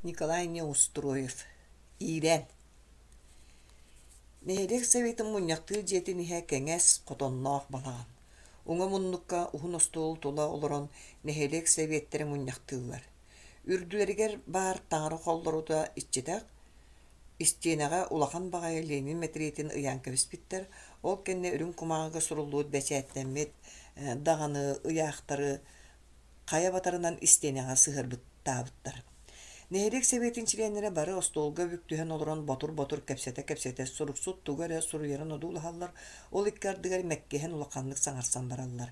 Николай Неустроев Иирэн Нэһилиэк советын мунньахтыыр дьиэтин иһэ кэҥэс, хотонноох балаҕан. Уҥа муннукка уһун остуол тула олорон нэһилиэк сэбиэттэрэ мунньахтыыллар. Үрдүлэригэр баар таҥара холлорута иччитэх, истиэнэҕэ улахан баҕайы Ленин мэтириэтин ыйаан кэбиспиттэр, ол кэннэ үрүҥ кумааҕыга суруллубут бэчээттэммит даҕаны ыйаахтары хайа батарынан истиэнэҕэ сыһыарбыттаабыттар. Нэһилиэк сэбиэтин чилиэннэрэ бары остуолга бүк түһэн олорон ботур-ботур кэпсэтэ-кэпсэтэ суруксут тугу эрэ суруйарын одуулаһаллар, ол икки ардыгар мэккиһэн улаханнык саҥарсан бараллар.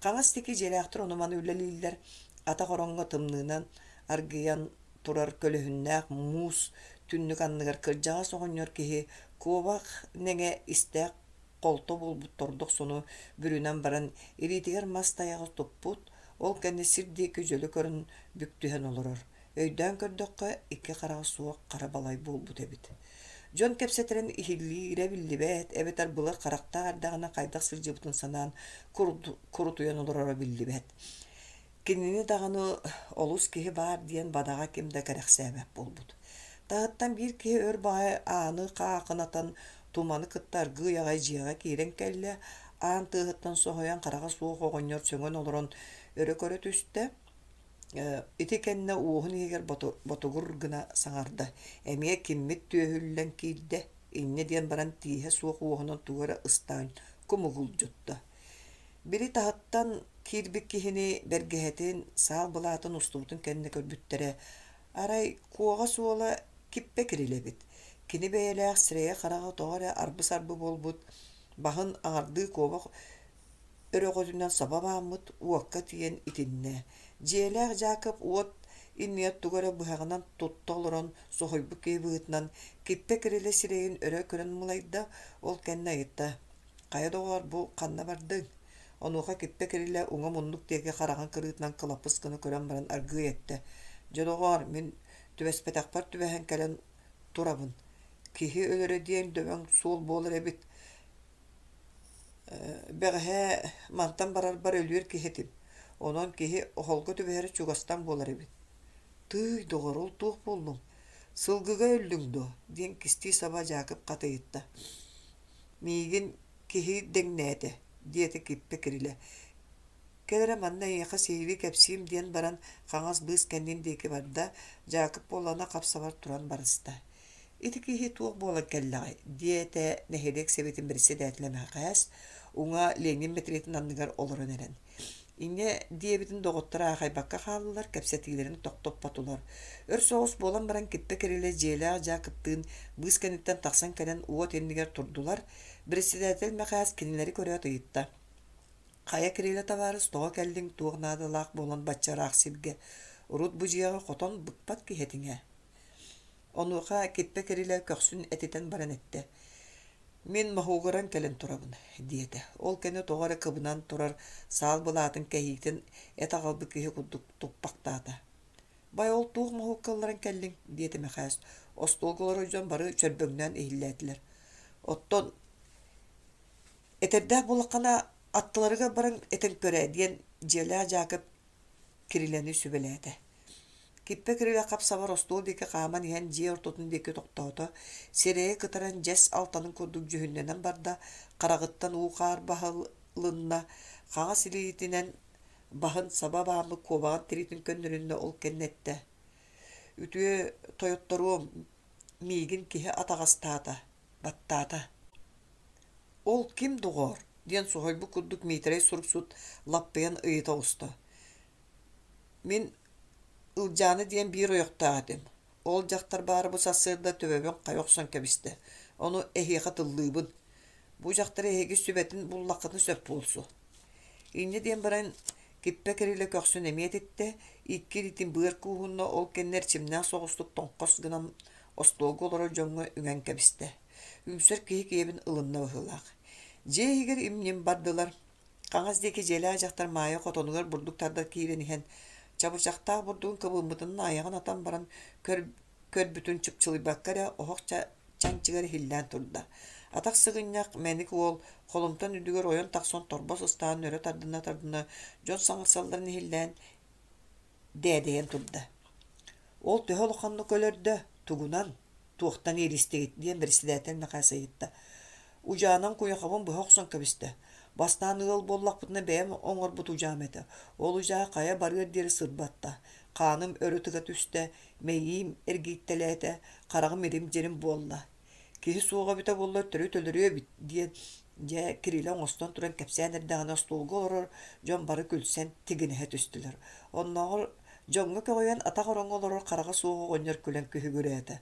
Хаҥас диэки дьиэлээхтэр ону-маны үлэлииллэр, атах ороҥҥо тымныынан аргыйан турар көлөһүннээх муус түннүк анныгар кырдьаҕас оҕонньор киһи куобах нэҥэ истээх холто буолбут тордох сону бүрүнэн баран илиитигэр мас тайаҕы туппут, ол кэннэ сир диэки дьөлө көрөн бүк түһэн олорор. Өйдөөн көрдөххө, икки хараҕа суох хара балай буолбут эбит. Дьон кэпсэтэрин иһиллиирэ биллибэт, эбэтэр былыр харахтаах эрдэҕинэ хайдах сылдьыбытын санаан курутуйан олороро биллибэт. Кинини даҕаны олус киһи баар диэн бадаҕа ким да кэрэхсээбэт буолбут. Таһыттан биир киһи өр баҕайы ааны хаахынатан туманы кытта аргыый аҕай дьиэҕэ киирэн кэллэ, аан тыаһыттан соһуйан хараҕа суох оҕонньор сөҥөн олорон өрө көрө түстэ. Ити кэннэ уоһун иһигэр ботугур гына саҥарда: «Эмиэ киммит түөһүллэн киирдэ?» Инньэ диэн баран тииһэ суох уоһунан тугу эрэ ыстаан кумугулдьутта. Били таһыттан киирбит киһини бэргэһэтин, саал былаатын устубутун кэннэ көрбүттэрэ, арай куоҕас уола киппэ кирилэбит, кини бэйэлээх сирэйэ-хараҕа тоҕо эрэ арбы-сарбы буолбут, баһын аҥардыы куобах өрөҕөтүнэн саба бааммыт, уокка тиийэн итиннэ. Дьиэлээх Дьаакып уот иннигэр тугу эрэ быһаҕынан тутта олорон соһуйбут киһи быһыытынан киппэ кирилэ сирэйин өрө көрөн мылайда, ол кэннэ ыйытта: «Хайа, доҕоор, бу ханна бардыҥ?» Онуоха Киппэ Кирилэ уҥа муннук диэки хараҕын кырыытынан кылапыс гына көрөн баран аргыый эттэ: «Дьэ, доҕоор, мин түбэспэтэхпэр түбэһэн кэлэн турабын. Киһи өлөрө диэн дөбөҥ суол буолар эбит. Бэҕэһээ мантан барарбар өлүөр киһи этим. Онон киһи оһолго түбэһэрэ чугастан буолар эбит. Тыый, доҕор, ол туох буоллуҥ? Сылгыга өллүҥ дуо?» диэн кистии-саба Дьаакып хат ыйытта. «Миигин киһи дэҥнээтэ», диэтэ Киппэ Кирилэ. «Кэл эрэ манна эйиэхэ сиһилии кэпсиим» диэн баран хаҥас быыс кэннин диэки барда, Дьаакып буоллаҕына хап-сабар туран барыста. «Ити киһи туох буолан кэллэҕэй?» диэтэ нэһилиэк сэбиэтин бэрэссэдээтэлэ Мэхээс, уҥа Ленин мэтириэтин анныгар олорон эрэн. Инньэ диэбитин доҕотторо аахайбакка хааллылар, кэпсэтиилэрин тохтоппотулар. Өр соҕус буолан баран Киппэ Кирилэ дьиэлээх Дьаакыптыын быыс кэнниттэн тахсан кэлэн уот иннигэр турдулар. Председатель Мэхээс кинилэри көрөөт ыйытта: «Хайа, Кирилэ табаарыс, тоҕо кэллиҥ, туох наадалаах буолан бачча ыраах сиргэ? Урут бу дьиэҕэ хотон быкпат киһи этиҥ ээ». Онуоха Киппэ Кирилэ көхсүн этитэн баран эттэ: «Мин моһуогуран кэлэн турабын», диэтэ. Ол кэннэ тоҕо эрэ кыбынан турар саал былаатын кэһиитин эт аҕалбыт киһи курдук туппахтаата. «Бай, ол туох моһуокка ылларан кэллиҥ?» диэтэ Мэхээс. Остуолга олорор дьон бары чөрбөҥнөөн иһиллээтилэр. «Оттон этэрдээх буоллаххына, аттыларыгар баран этэн көр ээ» диэн дьиэлээх Дьаакып Кирилэни сүбэлээтэ. Киппэ Кирилэ хап-сабар остуол диэки хааман иһэн дьиэ ортотун диэки тохтоото, сирэйэ кытаран дьэс алтанын курдук дьүһүннэнэн барда, хараҕыттан уу-хаар баһылынна, хаҥас илиитинэн баһын саба бааммыт куобаҕын тириитин көннөрүннэ, ол кэннэ эттэ: «Үтүө тойотторуом, миигин киһи атаҕастаата, баттаата». «Ол ким доҕоор?» диэн соһуйбут курдук Миитэрэй суруксут лаппыйан ыйыта оҕуста. «Мин Ылдьаана диэн биир ойохтоох этим. Ол дьахтар баара бу сарсыарда төбөбүн хайа охсон кэбистэ. Ону эһиэхэ тыллыыбын. Бу дьахтар эһиги сүбэтин буллаххытына сөп буолсу». Инньэ диэн баран Киппэ Кирилэ көхсүн эмиэ этиттэ, икки илиитин быар кууһунна, ол кэннэ эрчимнээх соҕустук тоҥхос гынан остуолга олорор дьоҥҥо үҥэн кэбистэ. Үҥсэр киһи киэбин ылынна быһыылаах. Дьиэ иһигэр им-ньим бардылар. Хаҥас диэки дьиэлээх дьахтар Маайа хотонугар бурдук тардар киирэн иһэн, чабычахтаах бурдугун кыбыммытын айаҕын атан баран көрбүтүн чыпчылыйбакка эрэ оһох чанчыгар иһиллээн турда. Атах сыгынньах мэник уол холумтан үрдүгэр ойон тахсан торбос ыстаан өрө тардына-тардына дьон саҥарсалларын иһиллээн дээдэйэн турда. Ол төһө улаханнык өлөрдө, тугунан, туохтан иилистигит диэн бэрэссэдээтэл Мэхээс ыйытта. Удьаанан куйахабын быһа охсон кэбистэ. Бастаан ыал буоллахпытына бэйэм оҥорбут удьаам этэ. Ол удьаа хайа барыар диэри сырбатта. Хааным өрө тыга түстэ, мэйиим эргийтэлээтэ, хараҕым ирим-дьирим буолла. Киһи суоҕа эбитэ буоллар төрүт өлөрүө эбит диэн дьэ Кирилэ оҥостон туран кэпсээн эрдэҕинэ остуолга олорор дьон бары күлсэн тигинэһэ түстүлэр. Оннооҕор дьоҥҥо көҕүйэн атах ороҥҥо олорор хараҕа суох оҕонньор күлэн күһүгүрээтэ.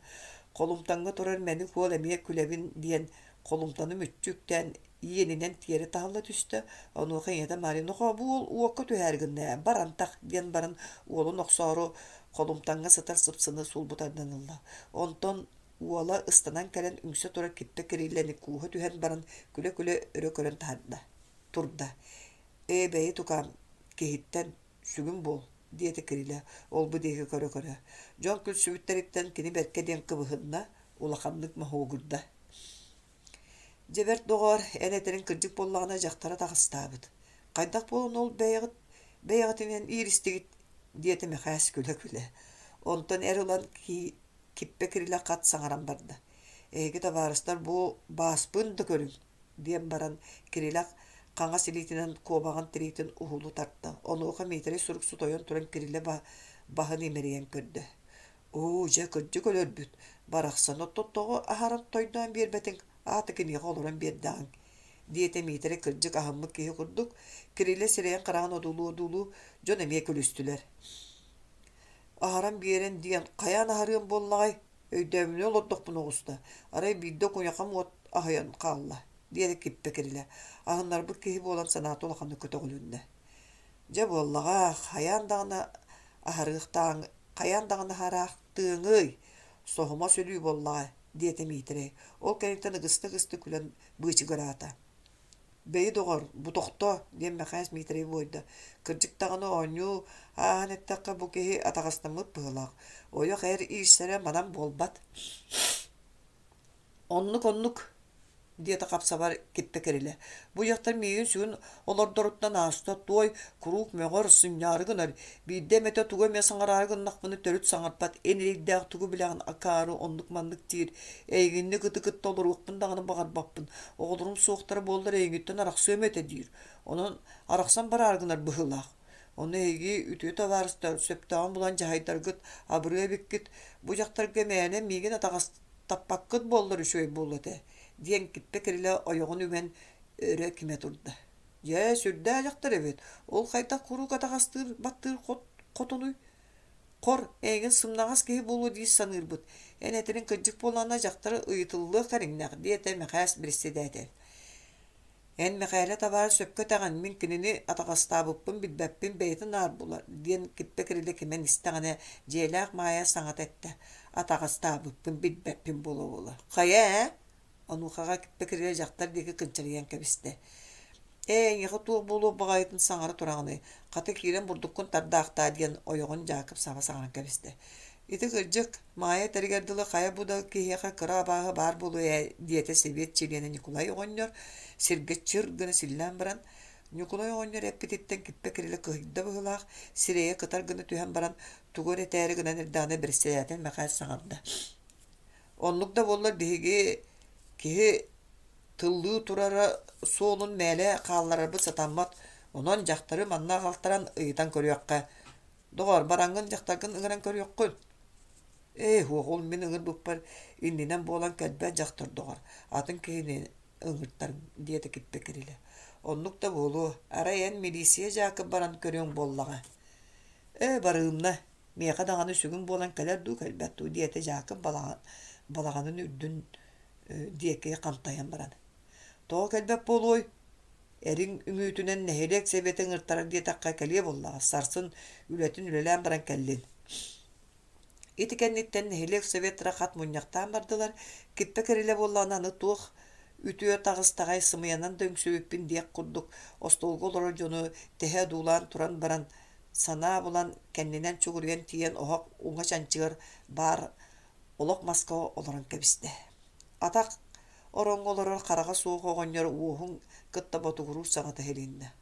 Холумтаҥҥа турар мэник уол эмиэ күлэбин диэн холумтаны мүччү үктээн иэнинэн тиэрэ таһылла түстэ. Онуоха ийэтэ Мария «Нохоо, бу уол уокка түһээри гынна ээ, бар антах» диэн баран уолун охсоору холумтаҥҥа сытар сыпсыны сулбу тардан ылла. Онтон Уола ыстанан кэлэн үҥсэ турар киппэ Кириллэни кууһа түһэн баран күлэ-күлэ өрө көрөн таһаарда, турда: «Ээ, бэйи тукаам, киһиттэн сүгүн буол» диэтэ Кирилэ ол-бу диэки көрө-көрө. Дьон күлсүбүттэриттэн кини бэркэ диэн кыбыһынна, улаханнык моһуогурда. Дьэ бэрт доҕоор, эн этэриҥ кырдьык буоллаҕына дьахтара таҕыстаабыт. Хайдах буолан ол бэйэҕит бэйэҕитинэн ииристигит диэтэ Мэхээс күлэ-күлэ. Онтон эр ылан Киппэ Кирилэ хат саҥаран барда: «Эһиги табаарыстар бу бааспын да көрүҥ» диэн баран Кирилэ хаҥас илиитинэн куобаҕын тириитин уһулу тарта. Онуоха Миитэрэй суруксут ойон туран Кирилэ баһын имэрийэн көрдө: «Оо, дьэ, кырдьык өлөрбүт, барахсан, оттон тоҕо аһаран тойдоон биэрбэтиҥ, аата киниэхэ олорон биэрдэҕиҥ» диэтэ Миитэрэй кырдьык аһыммыт киһи курдук, Кирилэ сирэйин-хараҕын одуулуу-одуулуу дьон эмиэ күлүстүлэр. Аһаран биэрэн диэн хайаан аһарыам буоллаҕай, өйдөөмүнэ олордохпуна оҕуста, арай биирдэ куйахам уот аһыйан хаалла, диэтэ Киппэ Кирилэ, аһыннарбыт киһи буолан санаата улаханнык көтөҕүлүннэ. Дьэ буоллаҕа, хайаан даҕаны аһарыахтааҥ, хайаан даҕаны аһараахтыаҥый, соһумас өлүү буоллаҕа, диэтэ Миитэрэй, ол кэнниттэн ыгыста-ыгыста күлэн быычыгыраата. Бэйи, доҕор, бу тохтоо, диэн Мэхээс Миитэрэй буойда. Кырдьык даҕаны оонньуу ааһан эттэххэ, бу киһи атаҕастаммыт быһыылаах. Ойох эр иирсэрэ манан буолбат. Оннук-оннук, диэтэ хапсабар Киппэ Кирилэ. Бу дьахтар миигин сүгүн олордоруттан ааста, туой куруук мөҕөр, сынньаары гынар. Биирдэ эмэтэ тугу эмэ саҥараары гыннахпына төрүт саҥарбат, эн эрэйдээх тугу билэҕин акаары оннук-маннык диир. Эйигинник ыты кытта олоруохпун даҕаны баҕарбаппын, оҕолорум суохтара буоллар эйигиттэн арахсыам этэ диир. Онон арахсан бараары гынар быһыылаах. Ону эһиги үтүө табаарыстар сөптөөҕүн булан дьаһайдаргыт абырыа эбиккит, бу дьахтарга мээнэ миигин атаҕастаппаккыт буоллар үчүгэй буолуо этэ, диэн Киппэ Кирилэ ойоҕун үҥэн өрө кимэ турда. Дьэ, сүрдээх дьахтар эбит, ол хайдах куруук атаҕастыыр баттыыр хотунуй? Хор, эйигин сымнаҕас киһи буолуо дии саныырбыт, эн этэриҥ кырдьык буоллаҕына дьахтары ыйытыллыах кэриҥнээх, диэтэ Мэхээс бэрэссэдээтэл. Эн Мэхээлэ табаарыс сөпкө этэҕин, мин кинини атаҕастаабыппын билбэппин бэйэтэ наар булар, диэн Киппэ Кирилэ кимэн истэҕинэ, дьиэлээх Маайа саҥата эттэ: атаҕастаабыппын билбэппин буола-буола. Хайа ээ? Онуохаҕа Киппэ Кирилэ дьахтар диэки кынчарыйан кэбистэ: «Ээ, эйиэхэ туох буолуох баҕайытын саҥара тураҕыный, хата киирэн бурдуккун тардаахтаа» диэн ойоҕун Дьаакып саба саҥаран кэбистэ. «Ити кырдьык, Маайа этэригэр дылы хайа бу да киһиэхэ кыра абааһы баар буолуо ээ» диэтэ сэбиэт чилиэнэ Ньукулай оҕонньор, сиргэ чыр гына силлээн баран. Ньукулай оҕонньор эппититтэн Киппэ Кирилэ кыһыйда быһыылаах, сирэйэ кытар гына түһэн баран, тугу эрэ этээри гынан эрдэҕинэ бэрэссэдээтэл Мэхээс саҥарда: Оннук да буоллар биһиги киһи тыллыы турара суолун мээлэ хаалларарбыт сатаммат, онон дьахтары манна аҕалтаран ыйытан көрүөххэ. Доҕоор, бараҥҥын дьахтаргын ыҥыран көрүөххүн. Ээ, һуох, ол мин ыҥырбыппар иннинэн буолан кэлбэт дьахтар доҕор, атын киһини ыҥыртарым, диэтэ Киппэ Кирилэ. Оннук да буолуо, арай эн милииссийэ дьаакып баран көрүөҥ буоллаҕа. Ээ, барыымна, Миэхэ даҕаны сүгүн буолан кэлэр дуу, кэлбэт дуу диэтэ Дьаакып балаҕанын үрдүн диэки хантайан баран. Тоҕо кэлбэт буолуой? Эриҥ үҥүүтүнэн нэһилиэк сэбиэтэ ыҥыртарар диэтэххэ кэлиэ буоллаҕа, сарсын үлэтин үлэлээн баран кэллин. Ити кэнниттэн нэһилиэк советтара хат мунньахтаан бардылар, Киппэ Кирилэ буоллаҕына аны туох үтүө таҕыстаҕай сымыйанан да үҥсүбүппүн диэх курдук остуолга олорор дьону тэһэ одуулаан туран баран Санаа булан, кэннинэн чугуруйан тиийэн оһох уҥа чанчыгар баар олох маска олорон кэбистэ. Атах ороҥҥо олорор хараҕа суох оҕонньор уоһун кытта ботугуруур саҥата иһилиннэ: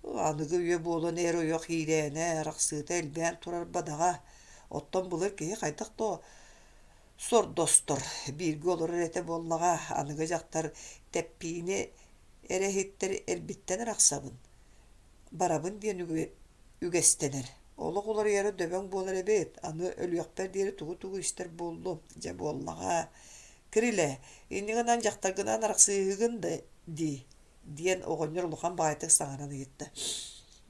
«Аныгы үйэ буолан эр-ойох иирээнэ, арахсыыта элбээн турар бадаҕа. Оттон былыр киһи хайдах да сордостор, бииргэ олорор этэ буоллаҕа, аныгы дьахтар тэппиини эрэ иһиттэр эрбиттэн арахсабын, барабын диэн үгэстэнэр. Олох уларыйара дөбөҥ буолар эбит, аны өлүөхпэр диэри тугу-тугу истэр буоллум, дьэ буоллаҕа. Кирилэ, инньэ гынан дьахтаргынаан арахсыыһыгын да дии, диэн оҕонньор улахан баҕайытык саҥаран ыйытта.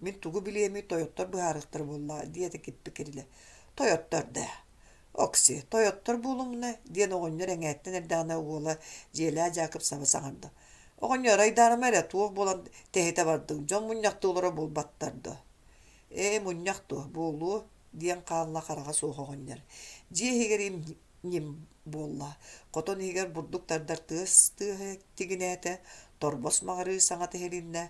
Мин тугу билиэмий, тойоттор быһаарыахтара буоллаҕа, диэтэ Киппи Кирилэ. Тойоттор да, Окси, тойоттор буолумуна, диэн оҕонньор эҥээттэн эрдэҕинэ уола дьиэлээх Дьаакып саба саҥарда. Оҕонньор айдаарыма эрэ, туох буолан тэһитэ бардыҥ, дьон мунньахтыы олоро буолбаттар дуо? Ээ, мунньах дуо, буолуо, диэн хаалла хараҕа суох оҕонньор. Дьиэ иһигэр ньим буолла. Хотон иһигэр бурдук тардар тыас тыаһа тигинээтэ, торбос маҕырыы саҥата иһилиннэ.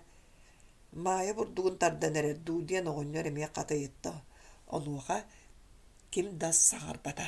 Маайа бурдугун тардан эрэр дуу диэн оҕонньор эмиэ хат ыйытта. Онуоха ким да саҥарбата.